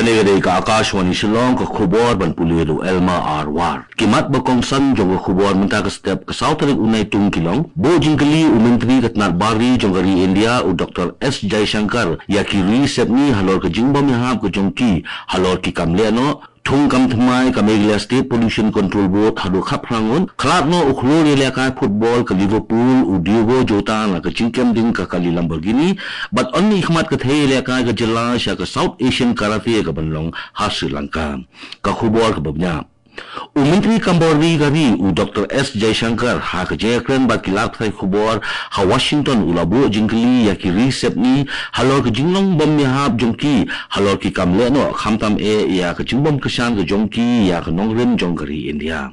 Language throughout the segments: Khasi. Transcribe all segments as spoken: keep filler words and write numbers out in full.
Kane ka dei ka Akashvani Shillong, ka khubor ban pule da u Elma R War. Ki mat ba kongsan jong ka khubor mynta ka step ka saw tarik u Naitung ki long: Buh jingkylli u Myntri ka tnat bar ri jong ka ri India u Doctor S Jaishankar ïa ki ri sepngi halor ka jingbym ïahap ka jong ki halor ki kam lehnoh. Thung kam thymmai ka Meghalaya State Pollution Control Board haduh khatphra ngut. Khlad noh u khlur ïalehkai football ka Liverpool u Diogo Jota na ka jingkem ding ka kali Lamborghini. Bad yn ïakhmat ka thei ïalehkai ka jylla sha ka South Asian Karate ka ban long ha Sri Lanka. Ka khubor kaba bniah. U Myntri kam bar ri ka ri u Doctor S Jaishankar ha ka jingïakren bad ki lad pathai khubor ha Washington u la buh jingkylli ïa ki ri sepngi halor ka jinglong bym ïahap jong ki halor ki kam lehnoh, khamtam eh ïa ka jingbym kyrshan ka jong ki ïa ka nongrim jong ka ri India.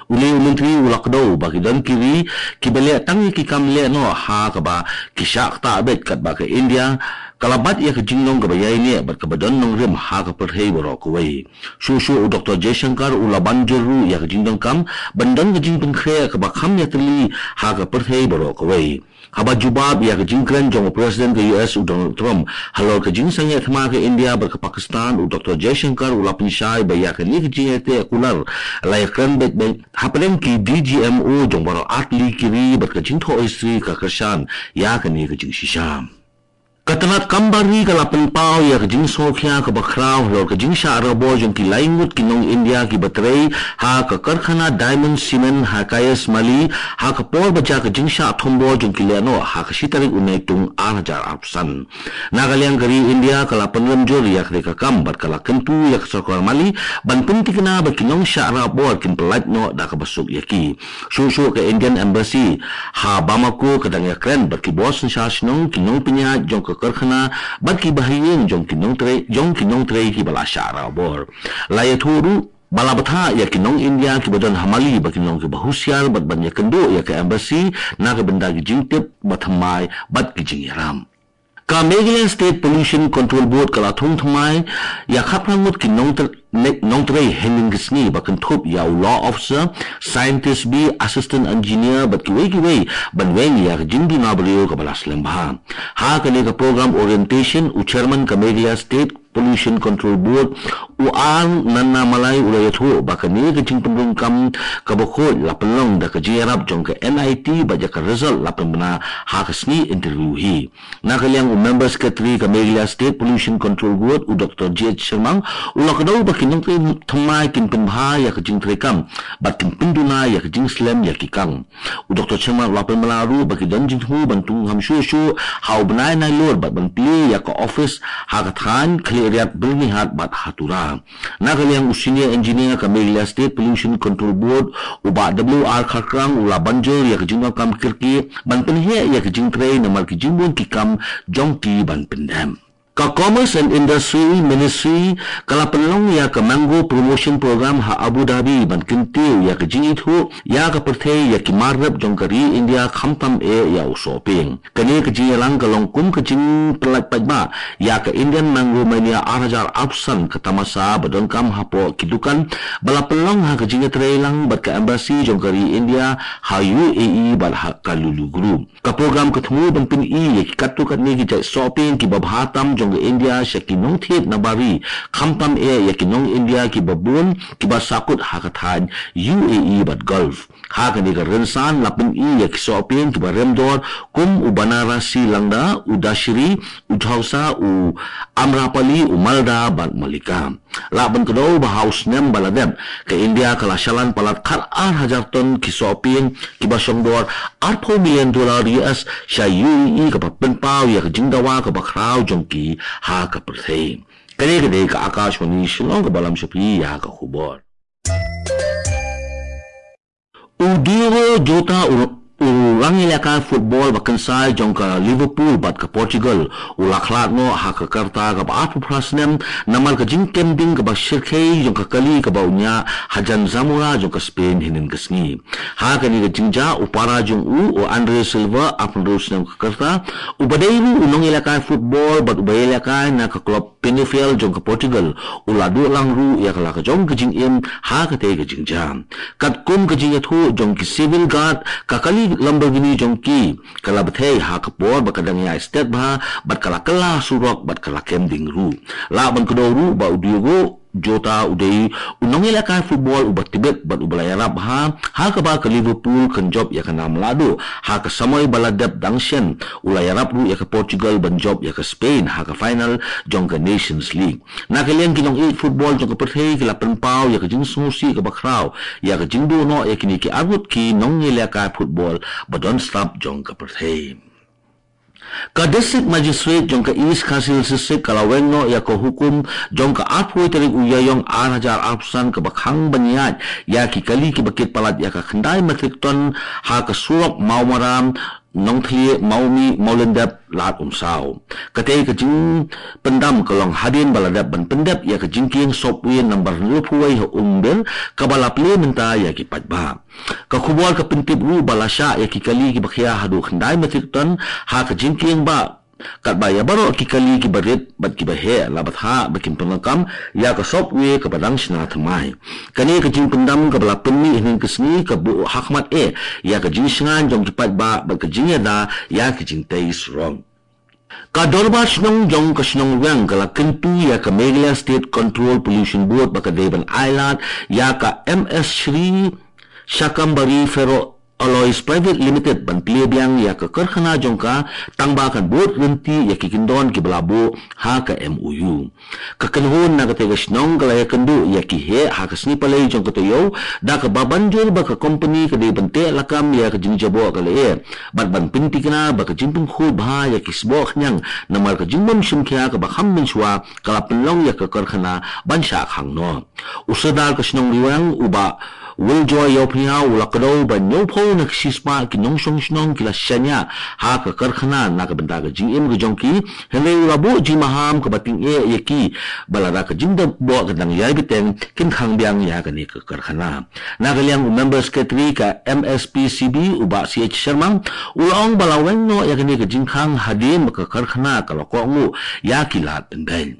Une u Myntri u la kdew ba ki don ki ri kiba leh tang ïa ki kam lehnoh ha kaba ki shah ktah beit, katba ka India ka la bat ïa ka jinglong kaba ïaineh bad kaba don nongrim ha ka pyrthei baroh kawei. Shuh shuh u Doctor Jaishankar u la ban jur ruh ïa ka jingdonkam ban don ka jingpynkhreh kaba kham ïatylli ha ka pyrthei baroh kawei. Haba jubab ïa ka jingkren jong u President ka U S u Donald Trump halor ka jingsangeh thma ka India bad ka Pakistan, u Doctor Jaishankar u la pynshai ba ïa kane ka jingïateh kular la ïakren beit beit hapdeng ki D G M O jong baroh artylli ki ri bad ka jingthoh history ka kyrshan ïa kane ka jingshisha. Ka tnat kam bar ri ka la pynpaw ïa ka jingsngewkhia kaba khraw halor ka jingshah rabor jong ki lai ngut ki nong India kiba trei ha ka karkhana Diamond Cement ha Kayasmali ha ka por ba jia ka jingshah thombor jong ki lehnoh ha ka shi tarik u Naitung ar hajar arphew san. Na ka liang ka ri India ka la pynrem jur ïa kane ka kam bad ka la kyntu ïa ka sorkar Mali ban pynthikna ba ki nongshah rabor kin pyllait noh da kaba suk ïa ki. Shuh shuh ka Indian Embassy ha Bamako ka dang ïakren bad ki bor synshar shnong, ki nongpynïaid jong ka karkhana bad ki bahaïing jong ki nongtrei, jong ki nongtrei kiba la shah rabor. La ïathuh ruh ba la bthah ïa ki nong India kiba don ha Mali ba kin long kiba husiar bad ban ïakynduh ïa ka Embassy na ka bynta ki jingtip ba thymmai bad ki jingïarap. Ka Meghalaya State Pollution Control Board ka la thung thymmai ïa khatphra ngut ki nongtre-, ne-, nongtrei hynnin ka sngi ba kynthup ïa u law officer, scientist B, assistant engineer bad kiwei kiwei ban weng ïa ka jingduna briew kaba la slem bha. Ha kane ka program orientation, u chairman ka Meghalaya State Pollution Control Board u R Nannamalai u la ïathuh ba kane ka jingpynrung kam kaba khuid la pynlong da ka jingïarap jong ka N I T bad ïa ka result la pynbna ha ka sngi interview hi. Na ka liang u Member Secretary ka Meghalaya State Pollution Control Board u Doctor J H Shermang u la kdew ba ki nongtrei thymmai kin pynbha ïa ka jingtrei kam bad kin pynduna ïa ka jingslem ïa ki kam. U Doctor Shermang u la pynbna ruh ba ki don jingthmu ban thung kham shuh shuh ha u bnai Nailur bad ban plie ïa ka office ha ka thaiñ Khliehriat, Byrnihat bad ha Tura. Na ka liang u Senior Engineer ka Meghalaya State Pollution Control Board u Bah W R Kharkrang u la ban jur ïa ka jingdonkam kyrkieh ban pynheh ïa ka jingtrei namar ki jingbun ki kam jong ki ban pyndep. Ka Commerce and Industry Ministry ka la pynlong ïa ka Mango Promotion Program ha Abu Dhabi ban kyntiew ïa ka jingithuh ïa ka pyrthei ïa ki mar rep jong ka ri India, khamtam eh ïa u sohpieng. Kane ka jingïalang ka long kum ka jingpyllait paidbah ïa ka Indian Mango Mania ar hajar arphew san, ka tamasa ba donkam hapoh ki dukan ba la pynlong ha ka jingïatreilang bad ka embassy jong ka ri India ha U A E bad ha ka Lulu Group. Ka program ka thmu ban pyni ïa ki katto katne ki jait sohpieng kiba bha tam jong ka India sha ki nongthied na bar ri, khamtam eh ïa ki nong India kiba bun kiba sahkut ha ka thaiñ U A E bad Gulf. Ha kane ka rynsan la pyni ïa ki sohpieng kiba rem dor kum u Banarasi Langda, u Dasheri, u Dausa, u Amrapali, u Malda bad Mallika. Lah ban kdew ba ha u snem ba la dep, ka India ka la shalan palat khat ar hajar ton ki sohpieng kiba shong dor arphew million dollar U S sha U A E, kaba pynpaw ïa ka jingdawa kaba khraw jong ki ha ka pyrthei. Kane ka dei ka Akashvani Shillong kaba lam sha phi ïa ka khubor. U Diogo Jota, u, u rangïalehkai football ba kynsai jong ka Liverpool bad ka Portugal, u la khlad noh ha ka rta kaba arphew phra snem namar ka jingkem ding kaba shyrkhei jong ka kali kaba u ñiah hajan Zamora jong ka Spain hynnin ka sngi. Ha kane ka jingjia, u para jong u, u Andre Silva, arphew hynriew snem ka rta, uba dei ruh u nongïalehkai football bad uba ïalehkai na ka club Penafiel jong ka Portugal, u la duh lang ruh ïa ka la ka jong ka jingim ha katei ka jingjia. Katkum ka jingïathuh jong ki Civil Guard, ka kali Lamborghini kini jong ki ka la bthei ha ka por ba ka dang ïai stet bha bad ka la kylla surok bad ka la kem ding ruh. Lah ban kdew ruh ba u Diogo Jota u dei u nongïalehkai football uba tbit bad uba la ïarap bha ha kaba ka Liverpool kan jop ïa ka nam la duh ha ka samoi ba la dep dang shen. U la ïarap ruh ïa ka Portugal ban jop ïa ka Spain ha ka final jong ka Nations League. Na ka liang ki nongïeit football jong ka pyrthei ki la pynpaw ïa ka jingsngewsih kaba khraw ïa ka jingduh noh ïa kine ki arngut ki nongïalehkai football ba don slap jong ka pyrthei. Ka District Magistrate jong ka East Khasi Hills District ka la weng noh ïa ka hukum jong ka arphew tarik u Ïaïong ar hajar arphew san kaba khang ban ïaid ïa ki kali kiba kit palat ïa ka khyndai metric ton ha ka surok Mawmaram, Nongthliew, Mawmih, Mawlyndep, Lad Umsaw. Katei ka jingpyndam ka long hadien ba la dep ban pyndep ïa ka jingkieng subway number hynriewphew wei ha Umbir kaba la plie mynta ïa ki paidbah. Ka khubor ka pyntip ruh ba la shah ïa ki kali kiba khia haduh khyndai metric ton ha ka jingkieng ba katba ïa baroh ki kali kiba rit bad kiba heh la bthah ba kin pyndonkam ïa ka subway kaba dang shna thymmai. Kane ka jingpyndam kaba la pynmih hynnin ka sngi ka buh ha khmat eh ïa ka jingshngaiñ jong ki paidbah bad ka jingïada ïa ki jingtei surok. Ka Dorbar Shnong jong ka Shnong Riwriang ka la kyntu ïa ka Meghalaya State Control Pollution Board ba ka dei ban ailad ïa ka M S Shri Shakambari Ferro Alloys Private Limited ban plie biang ïa ka karkhana jong ka tang ba kan bud ryntih ïa ki kyndon kiba la buh ha ka M O U. Ka kynhun na katei ka shnong ka la ïakynduh ïa ki heh ha ka sngi Palei jong ka taïew da kaba ban jur ba ka kompani ka dei ban teh lakam ïa ka jingjaboh ka lyer bad ban pynthikna ba ka jingpynkhuid bha ïa ki sboh khñiang namar ka jingbym shim khia kaba kham mynshuwa ka la pynlong ïa ka karkhana ban shah khang noh. U Sordar ka Shnong Riwriang u Bah Wiljoy Ïawphniaw u la kdew ba hynñiewphew na ka shispah ki nongshong shnong ki la shaniah ha ka karkhana na ka bynta ka jingim ka jong ki, hynrei u la buh jingmaham kaba tyngeh ïa ki ba lada ka jingjaboh ka dang ïai bteng kin khang biang ïa kane ka karkhana. Na ka liang u Member Secretary ka M S P C B u Bah C H Sharma u la ong ba la weng noh ïa kane ka jingkhang hadien ba ka karkhana ka la kohnguh ïa ki lad pynbeit.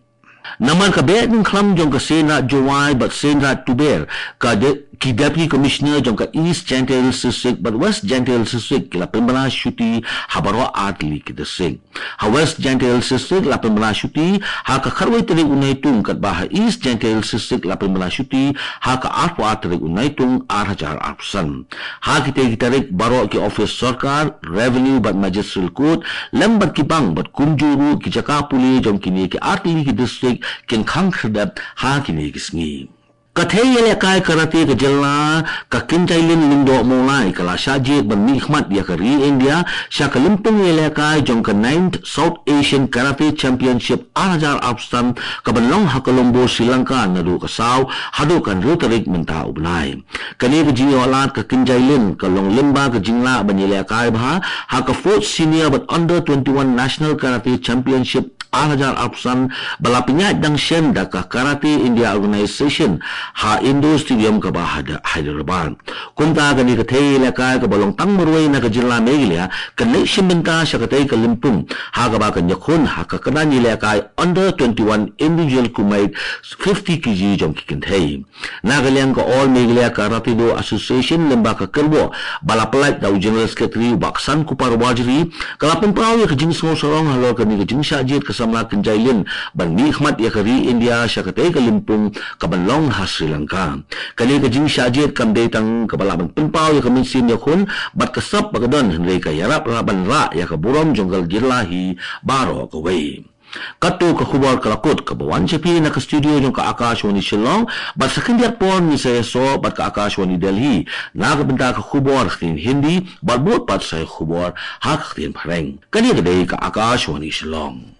Namar ka Behdeiñkhlam jong ka Seiñraij Jowai bad Seiñraij Tuber, ka de, ki Deputy Commissioner jong ka East Jaintia Hills District bad West Jaintia Hills District ki la pynbna shuti ha baroh artylli ki district. Ha West Jaintia Hills District la pynbna shuti ha ka khatwei tarik u Naitung katba ha East Jaintia Hills District la pynbna shuti ha ka arphew ar tarik u Naitung ar hajar arphew san. Ha kitei ki tarik baroh ki office sorkar, revenue bad magistrate court lem bad ki bank bad kumjuh ruh ki jaka pule jong kine ki artylli ki district kin khang khyrdep ha kine ki sngi. Ka thei ïalehkai karate ka jylla ka Kynjailin Lyngdoh Mawlai ka la shah jied ban mihkhmat ïa ka ri India sha ka lympung ïalehkai jong ka ninth South Asian Karate Championship ar hajar arphew san kaban long ha Colombo, Sri Lanka naduh ka saw haduh ka hynriew tarik mynta u bnai. Kane ka jingïoh lad ka Kynjailin ka long lyngba ka jinglah ban ïalehkai bha ha ka fourth Senior bad Under twenty-one National Karate Championship ar hajar arphew san ba la pynïaid dang shen da ka Karate India Organization ha Indoor Stadium kaba ha Hyderabad. Kumta kane ka thei ïalehkai kaba long tang marwei na ka jylla Meghalaya kan leit shim bynta sha katei ka lympung ha kaba kan ïakhun ha ka kyrdan ïalehkai Under twenty-one Individual Kumite fifty K G jong ki kynthei. Na ka liang ka All Meghalaya Karate Do Association lyngba ka kyrwoh ba la pyllait da u General Secretary u Bah Ksankupar Warjri ka la pynpaw ïa ka jingsngewsarong halor kane ka jingshah jied ka samla Kynjailin ban mihkhmat ïa ka ri India sha katei ka lympung kaban long ha Sri Lanka. Kane ka jingshah jied kam dei tang kaba lah ban pynpaw ïa ka mynsiem ïakhun bad ka sap ba ka don, hynrei ka ïarap lah ban rah ïa ka burom jong ka jylla hi baroh kawei. Kato ka khubor ka la kut kaba wan sha phi na ka studio jong ka Akashvani Shillong, bad sa khyndiat por ngin sa ïasoh bad ka Akashvani Delhi na ka bynta ka khubor ha ka ktien Hindi, bad bud pat sa ïa ka khubor ha ka ktien Phareng. Kane ka dei ka Akashvani Shillong.